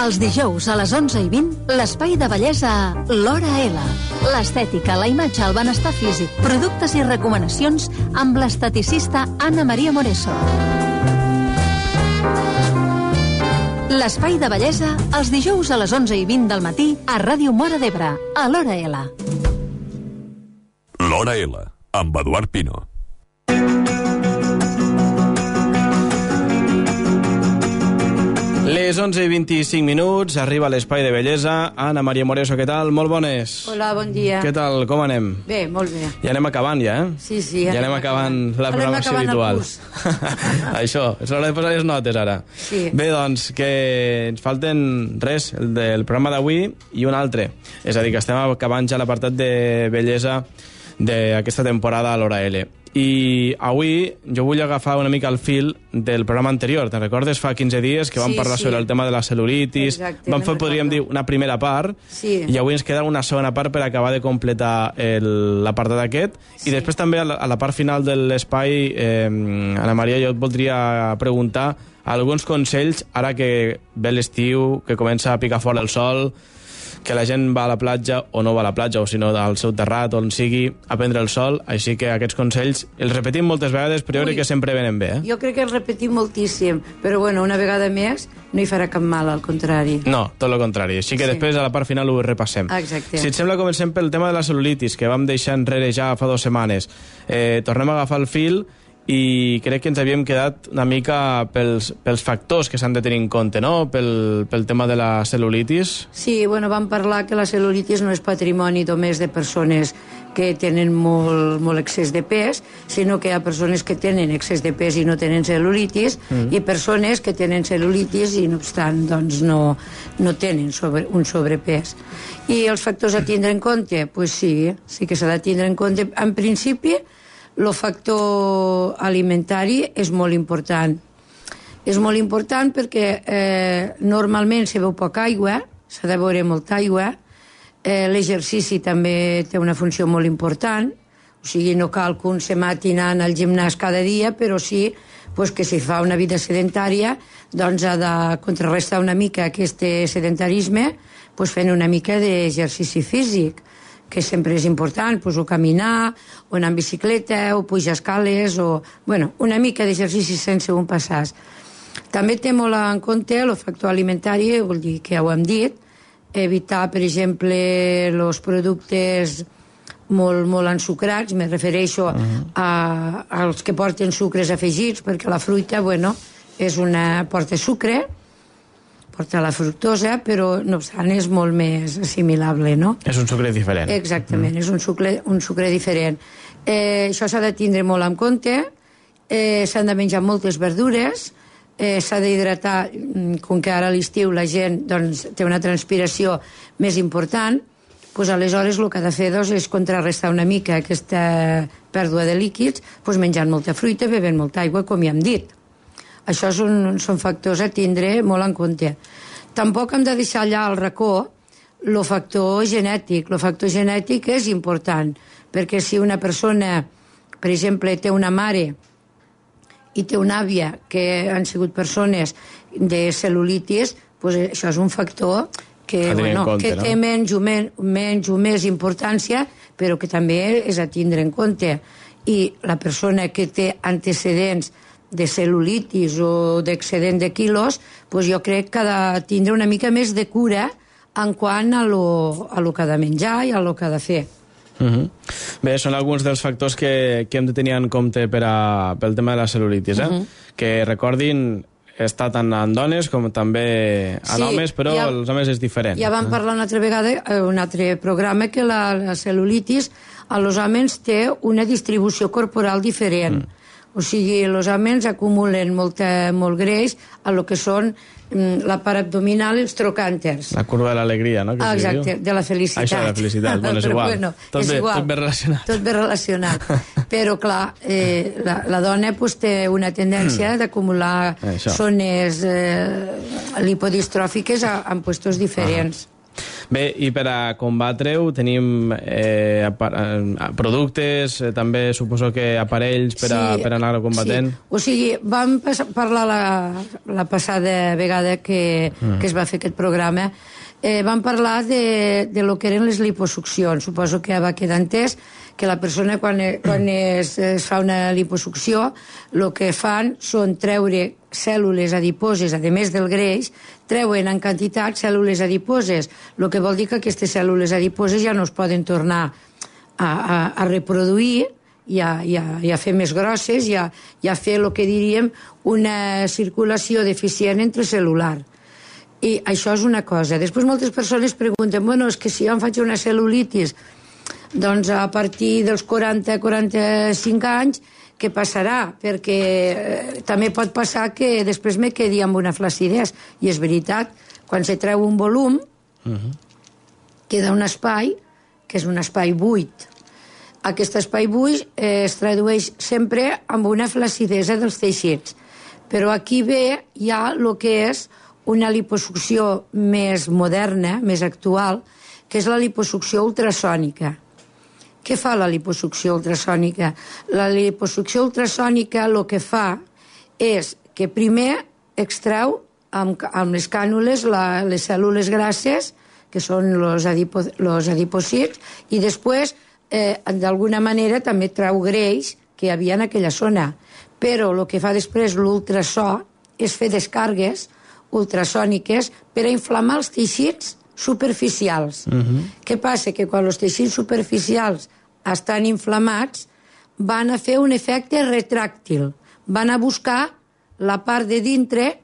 Els dijous a les 11:20, l'espai de bellesa L'Hora L. L'estètica, la imatge, el benestar físic, productes i recomanacions amb l'esteticista Anna Maria Moreso. L'espai de bellesa els dijous a les 11:20 del matí a Ràdio Móra d'Ebre, a L'Hora L. L'Hora L, amb Eduard Pino. Les 11:25, arriba a l'espai de bellesa. Anna Maria Moreso, què tal? Molt bones. Hola, bon dia. Què tal? Com anem? Bé, molt bé. Ja anem acabant, ja, eh? Sí. Ja anem acabant la programació habitual. Això, és l'hora de posar les notes, ara. Sí. Bé, doncs, que ens falten res, el del programa d'avui i un altre. És a dir, que estem acabant ja l'apartat de bellesa d'aquesta temporada a l'Hora L. I avui jo vull agafar una mica el fil del programa anterior. Te'n recordes fa 15 dies que vam parlar sobre el tema de la cel·lulitis? Exacte, vam fer, podríem dir, una primera part, i avui ens queda una segona part per acabar de completar l'apartat aquest. I després també a la part final de l'espai, Anna Maria, jo et voldria preguntar alguns consells ara que ve l'estiu, que comença a picar fora el sol, que la gent va a la platja o no va a la platja, o si no al seu terrat, on sigui, a prendre el sol. Així que aquests consells els repetim moltes vegades, però jo crec que sempre venen bé. Jo crec que els repetim moltíssim, però bueno, una vegada més no hi farà cap mal, al contrari. No, tot el contrari. Així que després a la part final ho repassem. Exacte. Si et sembla, comencem pel tema de la cel·lulitis, que vam deixar enrere ja fa 2 setmanes. Tornem a agafar el fil i crec que ens havíem quedat una mica pels factors que s'han de tenir en compte, no?, pel tema de la cel·lulitis. Sí, bueno, vam parlar que la cel·lulitis no és patrimoni només de persones que tenen molt excés de pes, sinó que hi ha persones que tenen excés de pes i no tenen cel·lulitis, i persones que tenen cel·lulitis i no obstant doncs no tenen un sobrepès. I els factors a tindre en compte? Pues sí que s'ha de tindre en compte. En principi, el factor alimentari és molt important. És molt important perquè normalment se veu poca aigua, s'ha de beure molta aigua. L'exercici també té una funció molt important, o sigui, no cal que un se mati anant al gimnàs cada dia, però sí que si fa una vida sedentària doncs ha de contrarrestar una mica aquest sedentarisme fent una mica d'exercici físic, que sempre és important, o caminar, o anar en bicicleta, o pujar escales, o una mica d'exercici sense un passàs. També té molt en compte el factor alimentari, vol dir que ja ho hem dit, evitar, per exemple, els productes molt ensucrats, me refereixo als que porten sucres afegits, perquè la fruita, porta sucre, porta la fructosa, però no obstant és molt més assimilable, no? És un sucre diferent. Exactament, és un sucre diferent. Això s'ha de tindre molt en compte, s'han de menjar moltes verdures, s'ha d'hidratar, com que ara a l'estiu la gent té una transpiració més important, doncs aleshores el que ha de fer és contrarrestar una mica aquesta pèrdua de líquids menjant molta fruita, bevent molta aigua, com ja hem dit. Això són factors a tindre molt en compte. Tampoc hem de deixar allà al racó el factor genètic. El factor genètic és important, perquè si una persona, per exemple, té una mare i té una àvia que han sigut persones de cel·lulitis, això és un factor que té menys o més importància, però que també és a tindre en compte. I la persona que té antecedents de cel·lulitis o d'excedent de quilos, jo crec que ha de tindre una mica més de cura en quant a lo que ha de menjar i a lo que ha de fer. Bé, són alguns dels factors que hem de tenir en compte pel tema de la cel·lulitis, que recordin, està tant en dones com també en homes, però els homes és diferent. Ja vam parlar una altra vegada, un altre programa, que la cel·lulitis a los homes té una distribució corporal diferent. O sigui, els homes acumulen molt greix a lo que són la part abdominal i els trocànters. La curva de l'alegria, no? Exacte, de la felicitat. Això, de la felicitat, és igual. Tot bé relacionat. Tot bé relacionat. Però, clar, la dona té una tendència d'acumular zones lipodistròfiques en puestos diferents. Bé, i per a combatre-ho tenim productes, també suposo que aparells per anar-ho combatent. Sí. O sigui, vam parlar la passada vegada que es va fer aquest programa, vam parlar de lo que eren les liposuccions. Suposo que va quedar entès que la persona quan es fa una liposucció el que fan són treure cèl·lules adiposes, a més del greix, treuen en quantitat cèl·lules adiposes, el que vol dir que aquestes cèl·lules adiposes ja no es poden tornar a reproduir i a fer més grosses i a fer el que diríem una circulació deficient intracel·lular. I això és una cosa. Després moltes persones pregunten, bueno, és que si jo em faig una cel·lulitis, doncs a partir dels 40-45 anys, què passarà? Perquè també pot passar que després me quedi amb una flacidesa. I és veritat, quan se treu un volum, queda un espai, que és un espai buit. Aquest espai buit es tradueix sempre amb una flacidesa dels teixits. Però aquí ve ja el que és una liposucció més moderna, més actual, que és la liposucció ultrasònica. Què fa la liposucció ultrasònica? La liposucció ultrasònica el que fa és que primer extreu amb les cànules les cèl·lules grasses, que són els adipòcits, i després, d'alguna manera, també treu greix que hi havia en aquella zona. Però el que fa després l'ultrasò és fer descàrregues ultrasòniques per a inflamar els teixits superficials. Què passa? Que quan els teixits superficials estan inflamats van a fer un efecte retràctil, van a buscar la part de dintre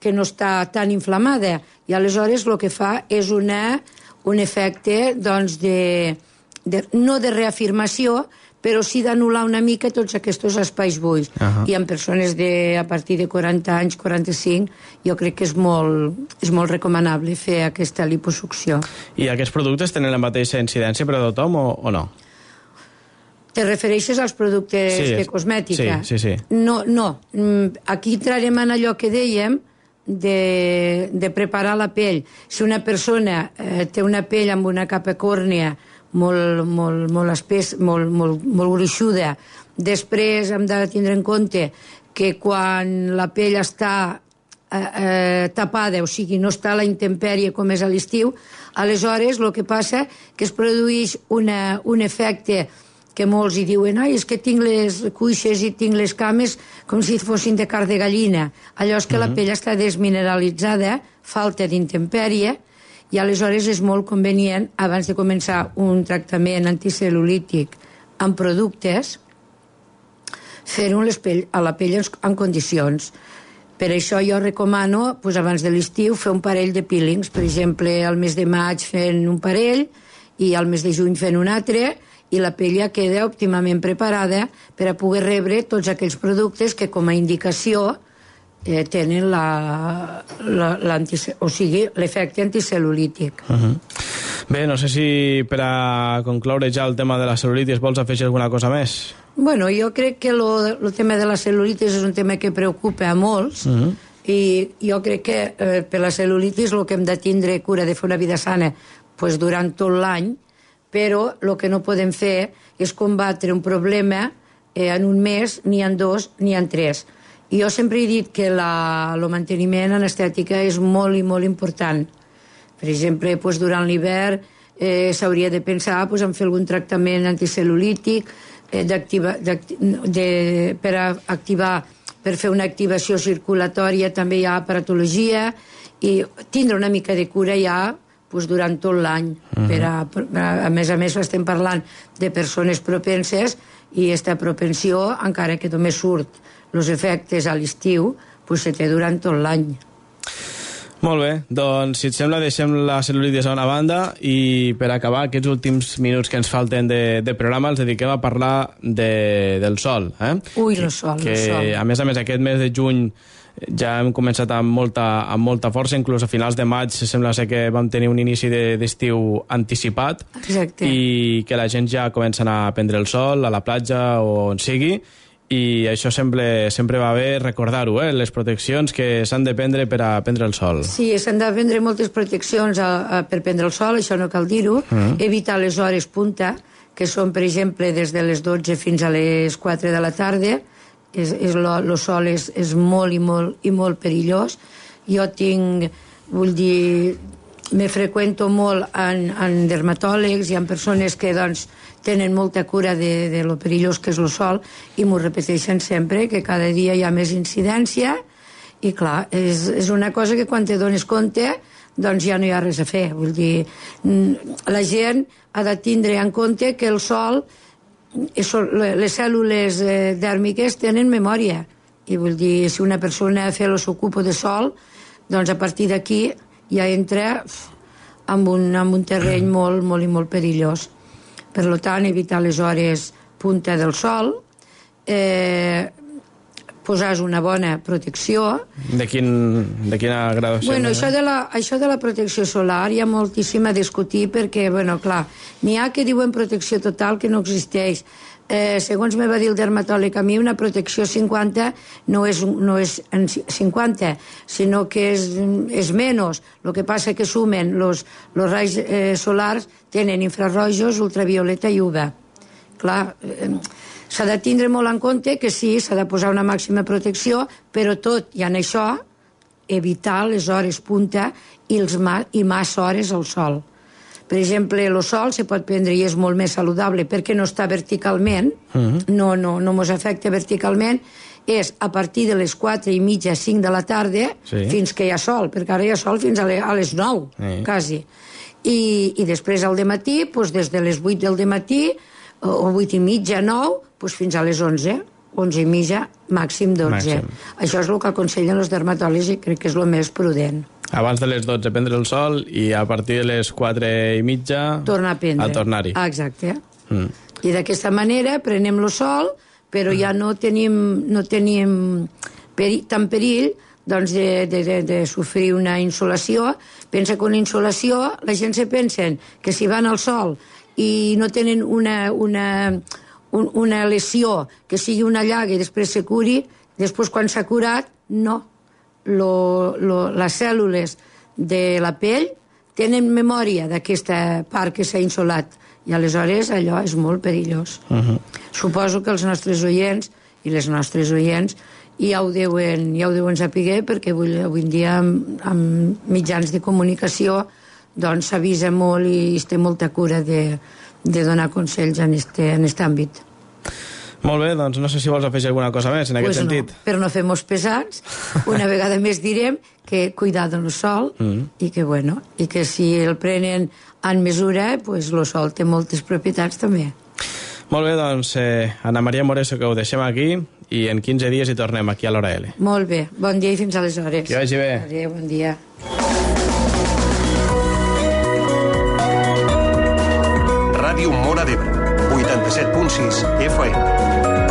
que no està tan inflamada i aleshores el que fa és un efecte doncs, no de reafirmació, però sí d'anul·lar una mica tots aquests espais buits. I en persones a partir de 40 anys, 45, jo crec que és molt recomanable fer aquesta liposucció. I aquests productes tenen la mateixa incidència per a tothom o no? Te refereixes als productes de cosmètica? Sí. No. Aquí entrarem en allò que dèiem de preparar la pell. Si una persona té una pell amb una capa còrnea molt espessa, molt gruixuda, després hem de tindre en compte que quan la pell està tapada, o sigui, no està a la intempèrie com és a l'estiu, aleshores el que passa que es produeix un efecte que molts hi diuen, és que tinc les cuixes i tinc les cames com si fossin de carn de gallina. Allò és que la pell està desmineralitzada, falta d'intempèrie, i aleshores és molt convenient, abans de començar un tractament anticel·lulític amb productes, fer-ho a la pell en condicions. Per això jo recomano, abans de l'estiu, fer un parell de peelings. Per exemple, al mes de maig fent un parell i al mes de juny fent un altre, i la pell ja queda òptimament preparada per a poder rebre tots aquells productes que com a indicació tenen l'efecte anticel·lulític. Bé, no sé si per a concloure ja el tema de la cel·lulitis vols afegir alguna cosa més? Bueno, jo crec que el tema de la cel·lulitis és un tema que preocupa a molts i jo crec que per la cel·lulitis el que hem de tindre cura de fer una vida sana durant tot l'any, però el que no podem fer és combatre un problema en un mes, ni en 2, ni en 3. I jo sempre he dit que el manteniment en estètica és molt i molt important. Per exemple, durant l'hivern s'hauria de pensar en fer algun tractament anticel·lulític per fer una activació circulatòria, també hi ha aparatologia, i tindre una mica de cura ja durant tot l'any. A més estem parlant de persones propenses i aquesta propensió, encara que només surt els efectes a l'estiu, se té durant tot l'any. Molt bé, doncs si et sembla deixem la cel·lulitis a una banda i per acabar aquests últims minuts que ens falten de programa els dediquem a parlar del sol. Ui, el sol. A més aquest mes de juny ja hem començat amb molta força, inclús a finals de maig sembla ser que vam tenir un inici d'estiu anticipat. Exacte. I que la gent ja comença a anar a prendre el sol a la platja o on sigui, i això sempre va bé recordar-ho, les proteccions que s'han de prendre per a prendre el sol. Sí, s'han de prendre moltes proteccions per prendre el sol, això no cal dir-ho. Evitar les hores punta, que són, per exemple, des de les 12 fins a les 4 de la tarda. El sol és molt i molt perillós. Jo me freqüento molt en dermatòlegs i en persones que, doncs, tenen molta cura de lo perillós que és el sol i m'ho repeteixen sempre, que cada dia hi ha més incidència i, clar, és una cosa que quan te dones compte doncs ja no hi ha res a fer. Vull dir, la gent ha de tindre en compte que el sol, les cèl·lules dèrmiques tenen memòria. I vull dir, si una persona fa el seu cupo de sol, doncs a partir d'aquí ja entra en un terreny molt i molt perillós. Per tant, evitar les hores punta del sol, posar una bona protecció. De quina gradació? Bueno, això de la protecció solar hi ha moltíssim a discutir perquè, bueno, clar, n'hi ha que diuen protecció total que no existeix. Segons me va dir el dermatòleg, a mi una protecció 50 no és 50, sinó que és menys. El que passa que sumen los raigs solars, tenen infrarrojos, ultravioleta i UV. Clar, s'ha de tindre molt en compte que sí, s'ha de posar una màxima protecció, però tot i en això evitar les hores punta i massa hores al sol. Per exemple, el sol se pot prendre i és molt més saludable perquè no està verticalment, no mos afecta verticalment, és a partir de les 4:30, 5 de la tarda, fins que hi ha sol, perquè ara hi ha sol fins a les 9, quasi. I després al dematí, des de les 8 del dematí, o 8:30, 9, fins a les 11, 11:30, màxim 12. Això és el que aconsellen els dermatòlegs i crec que és el més prudent. Abans de les 12 prendre el sol i a partir de les 4:30 tornar a prendre. A tornar-hi. Exacte. I d'aquesta manera prenem el sol, però ja no tenim tant perill doncs, de sofrir una insolació. Pensa que una insolació, la gent se pensa que si van al sol i no tenen una lesió, que sigui una llaga i després se curi, després quan s'ha curat, no. Les cèl·lules de la pell tenen memòria d'aquesta part que s'ha insolat i aleshores allò és molt perillós. Suposo que els nostres oients i les nostres oients ja ho deuen saber perquè avui en dia amb mitjans de comunicació doncs s'avisa molt i es té molta cura de donar consells en aquest àmbit. Molt bé, doncs no sé si vols afegir alguna cosa més en aquest sentit. No, però no fem-nos pesats. Una vegada més direm que cuidar del sol i que si el prenen en mesura, doncs el sol té moltes propietats també. Molt bé, doncs Ana Maria Moreso, que ho deixem aquí i en 15 dies hi tornem aquí a l'Hora L. Molt bé, bon dia i fins aleshores. Que vagi bé. Adéu, bon dia. Ràdio Móra d'Ebre, 87.6 FM.